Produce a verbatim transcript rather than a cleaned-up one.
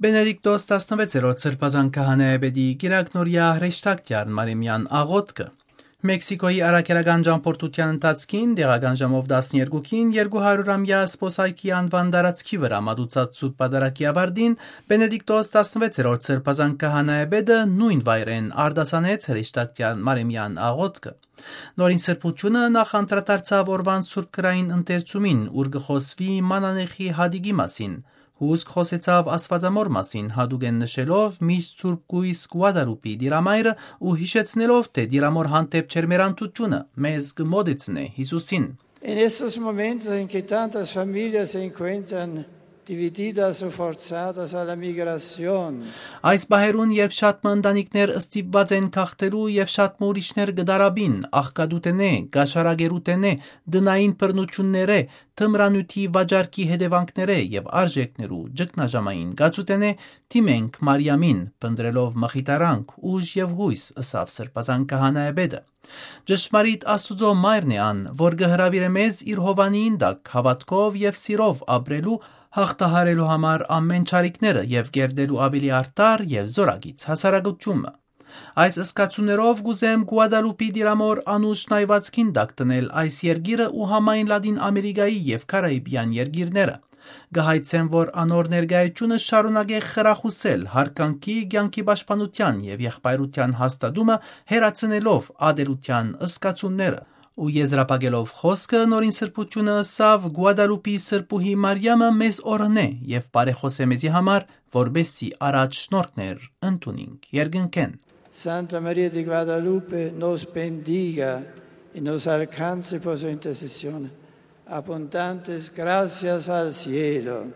Բենեդիկտոս տասնվեցերորդ Սրբազան քահանայապետի կիրակնօրեայ հրեշտակցեալ Մարեմեան աղօթքը։ Մեքսիքոյի առաքելական ճամբորդութեան ընթացքին, տեղական ժամով տասներկուքին, երկու հարյուր ամեայ սպոսայքի անուան տարածքի վրայ մատուցած Սուրբ Պատարագի աւարտին, Բենեդիկտոս տասնվեցերորդ Սրբազան քահանայապետը նոյն վայրէն արտասանեց հրեշտակցեալ Մարեմեան աղօթքը։ Նորին Սրբութիւնը նախ անդրադարձաւ օրուան սուրբ գրային ընթերցումին, ուր կը խօսուի Մանանեխի հատիկի մասին, հուսկ խօսեցաւ Աստուածամօր մասին, յատուկէն նշելով միշտ Սուրբ Կոյս Գուադալուպի Տիրամայրը ու յիշեցնելով, թէ Տիրամօր հանդէպ ջերմեռանդութիւնը մեզ կը մօտեցնէ Յիսուսին։ En estos momentos en que tantas familias se encuentran divididas o forzadas a la migración. Այս պահերուն, երբ շատ մը ընտանիքներ ստիպուած են գաղթելու եւ շատ մը ուրիշներ կը դարաբին աղքատութենէ, կաշառակերութենէ, տնային բռնութիւններէ, թմրանիւթի վաճառքի հետեւանքներէ եւ արժէքներու ճգնաժամային գացութենէ, դիմենք Մարիամին, փնտռելով մխիթարանք, ուժ եւ յոյս, ըսաւ Սրբազան քահանայապետը։ Ճշմարիտ Աստուծոյ մայրն է ան, որ կը հրաւիրէ մեզ իր հովանիին տակ հաւատքով եւ սիրով ապրելու, յաղթահարելու համար ամէն չարիքները եւ կերտելու աւելի արդար եւ զօրակից հասարակութիւնը։ Այս զգացումներով կ'ուզեմ Գուադալուպի Տիրամօր անուշ նայվածքին տակ դնել այս երկիրը ու համայն Լատին Ամերիկայի եւ Կարաիբեան երկիրները։ Կը հայցեմ, որ անոր ներկայությունը շարունակէ խրախուսել յարգանքի, կեանքի պաշտպանութեան եւ եղբայրութեան հաստատումը, հեռացնելով ատելութեան զգացումները։ Ու եզրափակելով խօսքը, Նորին Սրբութիւնը ըսաւ. «Գուադալուպի Սրբուհի Մարիամը մեզ օրհնէ եւ բարեխօս է մեզի համար, որպեսզի առաջ շնորհքներ ընդունինք երկնքէն»։ Santa Maria di Guadalupe nos bendiga y nos alcance por su intercesión abundantes gracias al cielo.